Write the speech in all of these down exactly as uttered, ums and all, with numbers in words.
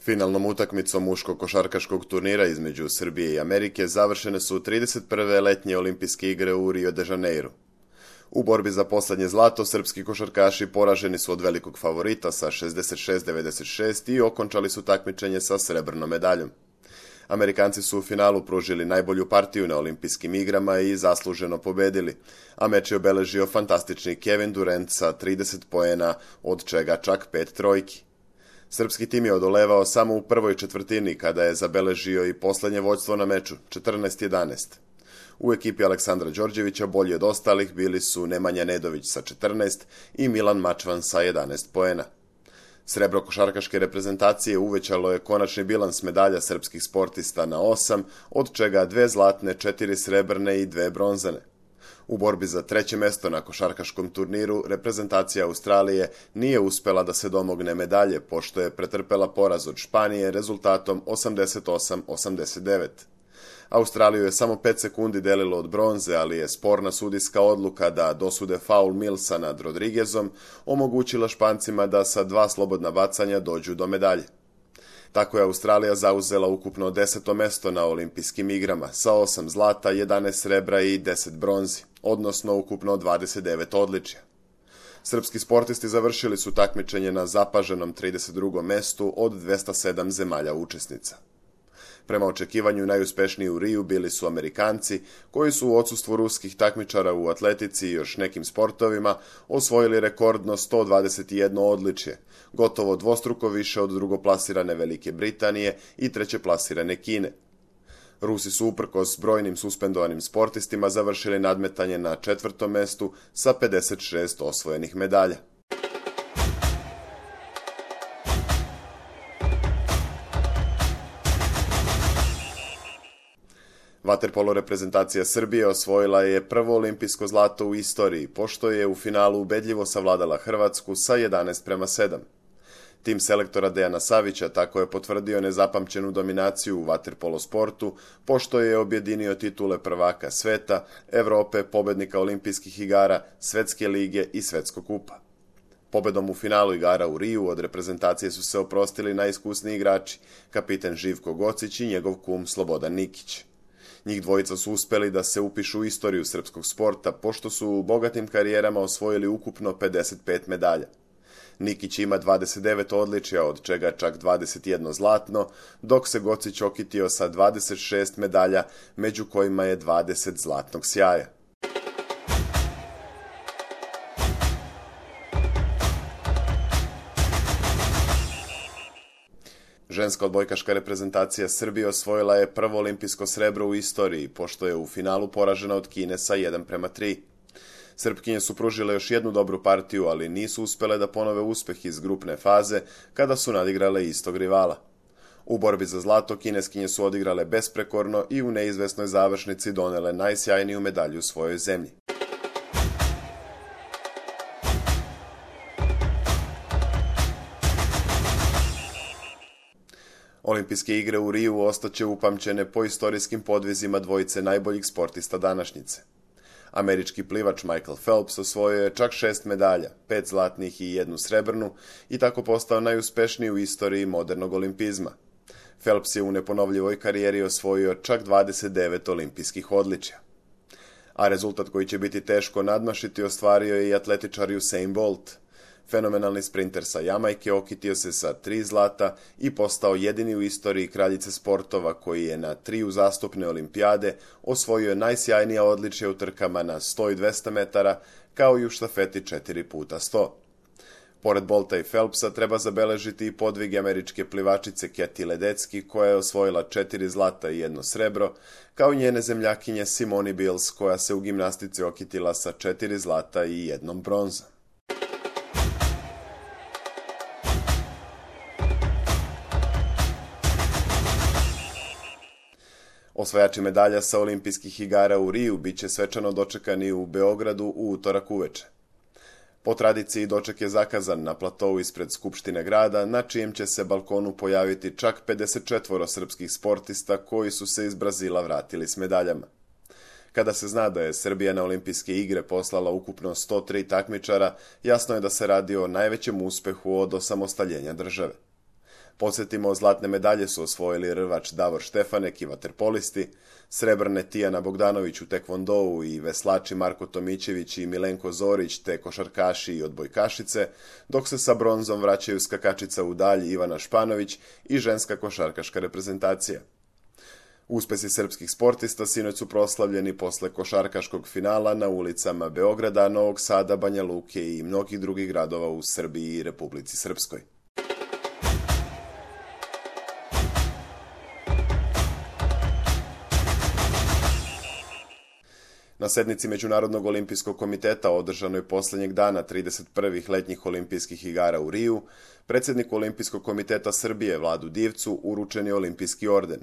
Finalnom utakmicom muškog košarkaškog turnira između Srbije i Amerike završene su trideset prve letnje olimpijske igre u Rio de Janeiru. U borbi za poslednje zlato srpski košarkaši poraženi su od velikog favorita sa šezdeset šest devedeset šest i okončali su takmičenje sa srebrnom medaljom. Amerikanci su u finalu pružili najbolju partiju na olimpijskim igrama i zasluženo pobedili, a meč je obeležio fantastični Kevin Durant sa trideset poena, od čega čak pet trojki. Srpski tim je odolevao samo u prvoj četvrtini kada je zabeležio i poslednje vođstvo na meču, četrnaest jedanaest. U ekipi Aleksandra Đorđevića bolji od ostalih bili su Nemanja Nedović sa četrnaest i Milan Mačvan sa jedanaest poena. Srebro košarkaške reprezentacije uvećalo je konačni bilans medalja srpskih sportista na osam, od čega dve zlatne, četiri srebrne i dve bronzane. U borbi za treće mesto na košarkaškom turniru reprezentacija Australije nije uspela da se domogne medalje, pošto je pretrpela poraz od Španije rezultatom osamdeset osam osamdeset devet. Australiju je samo pet sekundi delilo od bronze, ali je sporna sudijska odluka da dosude faul Millsa nad Rodriguezom omogućila Špancima da sa dva slobodna bacanja dođu do medalje. Tako je Australija zauzela ukupno deseto mesto na olimpijskim igrama sa osam zlata, jedanaest srebra i deset bronzi, odnosno ukupno dvadeset devet odličja. Srpski sportisti završili su takmičenje na zapaženom trideset drugom mestu od dvesta sedam zemalja učesnica. Prema očekivanju najuspešniji u Riju bili su Amerikanci, koji su u odsustvu ruskih takmičara u atletici i još nekim sportovima osvojili rekordno sto dvadeset jedno odličje, gotovo dvostruko više od drugoplasirane Velike Britanije i trećeplasirane Kine. Rusi su uprkos brojnim suspendovanim sportistima završili nadmetanje na četvrtom mestu sa pedeset šest osvojenih medalja. Vaterpolo reprezentacija Srbije osvojila je prvo olimpijsko zlato u istoriji, pošto je u finalu ubedljivo savladala Hrvatsku sa jedanaest prema sedam. Tim selektora Dejana Savića tako je potvrdio nezapamćenu dominaciju u vaterpolo sportu, pošto je objedinio titule prvaka sveta, Evrope, pobednika olimpijskih igara, Svetske lige i Svetskog kupa. Pobedom u finalu igara u Riju od reprezentacije su se oprostili najiskusniji igrači, kapiten Živko Gocić i njegov kum Slobodan Nikić. Njih dvojica su uspeli da se upišu u istoriju srpskog sporta, pošto su u bogatim karijerama osvojili ukupno pedeset pet medalja. Nikić ima dvadeset devet odličja, od čega čak dvadeset jedno zlatno, dok se Gocić okitio sa dvadeset šest medalja, među kojima je dvadeset zlatnog sjaja. Ženska odbojkaška reprezentacija Srbije osvojila je prvo olimpijsko srebro u istoriji, pošto je u finalu poražena od Kine sa jedan prema tri. Srpkinje su pružile još jednu dobru partiju, ali nisu uspele da ponove uspeh iz grupne faze kada su nadigrale istog rivala. U borbi za zlato kineskinje su odigrale besprekorno i u neizvesnoj završnici donele najsjajniju medalju u svojoj zemlji. Olimpijske igre u Riju ostaće upamćene po istorijskim podvizima dvojice najboljih sportista današnjice. Američki plivač Michael Phelps osvojio je čak šest medalja, pet zlatnih i jednu srebrnu, i tako postao najuspešniji u istoriji modernog olimpizma. Phelps je u neponovljivoj karijeri osvojio čak dvadeset devet olimpijskih odličja. A rezultat koji će biti teško nadmašiti ostvario je i atletičar Usain Bolt. Fenomenalni sprinter sa Jamajke okitio se sa tri zlata i postao jedini u istoriji kraljice sportova koji je na tri uzastopne olimpijade osvojio najsjajnija odličja u trkama na sto i dvesta metara, kao i u štafeti četiri puta sto. Pored Bolta i Phelpsa treba zabeležiti i podvig američke plivačice Kathy Ledecky, koja je osvojila četiri zlata i jedno srebro, kao i njene zemljakinje Simone Biles, koja se u gimnastici okitila sa četiri zlata i jednom bronzom. Osvajači medalja sa olimpijskih igara u Riju biće svečano dočekani u Beogradu u utorak uveče. Po tradiciji doček je zakazan na platovu ispred Skupštine grada, na čijem će se balkonu pojaviti čak pedeset četvoro srpskih sportista koji su se iz Brazila vratili s medaljama. Kada se zna da je Srbija na olimpijske igre poslala ukupno sto tri takmičara, jasno je da se radi o najvećem uspehu od osamostaljenja države. Podsjetimo, zlatne medalje su osvojili rvač Davor Štefanek i vaterpolisti, srebrne Tijana Bogdanović u tekvondou i veslači Marko Tomićević i Milenko Zorić te košarkaši i odbojkašice, dok se sa bronzom vraćaju skakačica u dalj Ivana Španović i ženska košarkaška reprezentacija. Uspesi srpskih sportista sinoć su proslavljeni posle košarkaškog finala na ulicama Beograda, Novog Sada, Banja Luke i mnogih drugih gradova u Srbiji i Republici Srpskoj. Na sednici Međunarodnog olimpijskog komiteta održanoj posljednjeg dana trideset prvih letnjih olimpijskih igara u Riju, predsjedniku Olimpijskog komiteta Srbije Vladu Divcu uručen je olimpijski orden.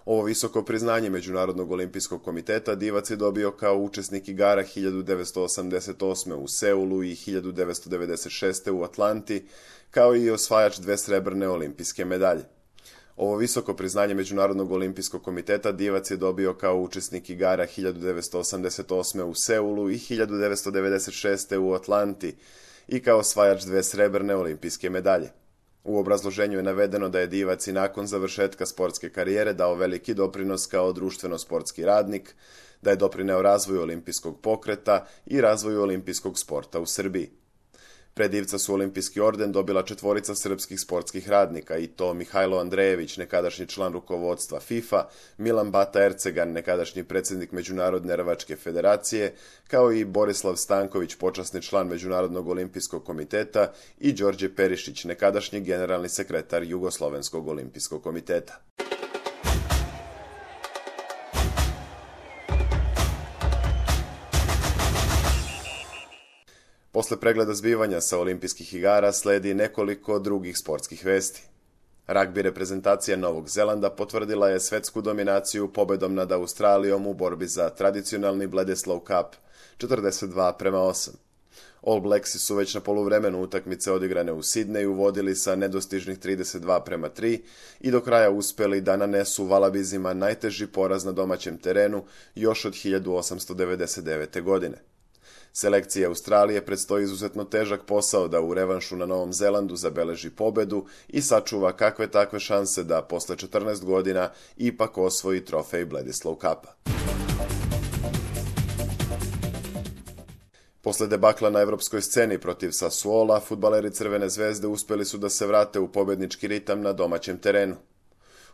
Ovo visoko priznanje Međunarodnog olimpijskog komiteta Divac je dobio kao učesnik igara hiljadu devetsto osamdeset osme u Seulu i hiljadu devetsto devedeset šeste u Atlanti, kao i osvajač dve srebrne olimpijske medalje. Ovo visoko priznanje Međunarodnog olimpijskog komiteta Divac je dobio kao učesnik igara hiljadu devetsto osamdeset osme u Seulu i hiljadu devetsto devedeset šeste u Atlanti i kao osvajač dve srebrne olimpijske medalje. U obrazloženju je navedeno da je Divac i nakon završetka sportske karijere dao veliki doprinos kao društveno-sportski radnik, da je doprineo razvoju olimpijskog pokreta i razvoju olimpijskog sporta u Srbiji. Pred Divca su olimpijski orden dobila četvorica srpskih sportskih radnika, i to Mihajlo Andrejević, nekadašnji član rukovodstva FIFA, Milan Bata Ercegan, nekadašnji predsjednik Međunarodne rvačke federacije, kao i Borislav Stanković, počasni član Međunarodnog olimpijskog komiteta, i Đorđe Perišić, nekadašnji generalni sekretar Jugoslovenskog olimpijskog komiteta. Posle pregleda zbivanja sa olimpijskih igara sledi nekoliko drugih sportskih vesti. Ragbi reprezentacija Novog Zelanda potvrdila je svetsku dominaciju pobedom nad Australijom u borbi za tradicionalni Bledisloe Cup četrdeset dva prema osam. All Blacksi su već na poluvremenu utakmice odigrane u Sidneju vodili sa nedostižnih trideset dva prema tri i do kraja uspeli da nanesu Valabizima najteži poraz na domaćem terenu još od hiljadu osamsto devedeset devete. godine. Selekciji Australije predstoji izuzetno težak posao da u revanšu na Novom Zelandu zabeleži pobedu i sačuva kakve takve šanse da posle četrnaest godina ipak osvoji trofej Bledisloe Cupa. Posle debakla na evropskoj sceni protiv Sassuola, fudbaleri Crvene zvezde uspeli su da se vrate u pobednički ritam na domaćem terenu.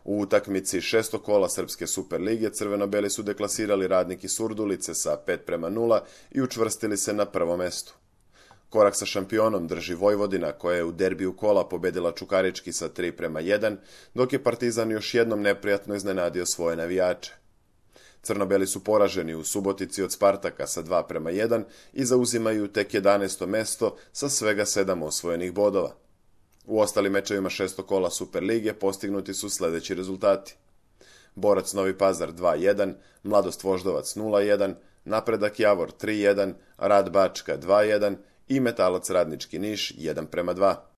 U utakmici šestog kola Srpske Superlige crveno-beli su deklasirali Radnik iz Surdulice sa pet prema nula i učvrstili se na prvom mestu. Korak sa šampionom drži Vojvodina, koja je u derbiju kola pobedila Čukarički sa tri prema jedan, dok je Partizan još jednom neprijatno iznenadio svoje navijače. Crno-beli su poraženi u Subotici od Spartaka sa dva prema jedan i zauzimaju tek jedanaesto mesto sa svega sedam osvojenih bodova. U ostalim mečevima šestog kola Superlige postignuti su sljedeći rezultati. Borac Novi Pazar dva jedan, Mladost Voždovac nula jedan, Napredak Javor tri jedan, Rad Bačka dva jedan i Metalac Radnički Niš jedan prema dva.